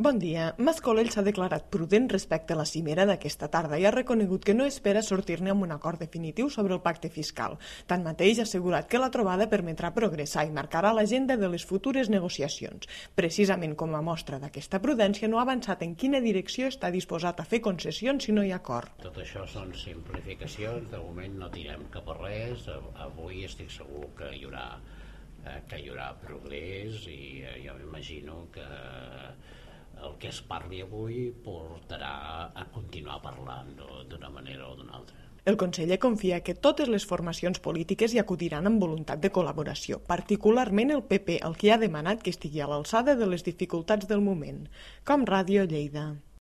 Bon dia. Mas Colell s'ha declarat prudent respecte a la cimera d'aquesta tarda i ha reconegut que no espera sortir-ne amb un acord definitiu sobre el pacte fiscal. Tanmateix, ha assegurat que la trobada permetrà progressar i marcarà l'agenda de les futures negociacions. Precisament com a mostra d'aquesta prudència, no ha avançat en quina direcció està disposat a fer concessions si no hi ha acord. Tot això són simplificacions, de moment no tirem cap a res. Avui estic segur que hi haurà progrés i jo m'imagino que el que es parli avui portarà a continuar parlant d'una manera o d'una altra. El conseller confia que totes les formacions polítiques hi acudiran amb voluntat de col·laboració, particularment el PP, el que ha demanat que estigui a l'alçada de les dificultats del moment. Com Ràdio Lleida.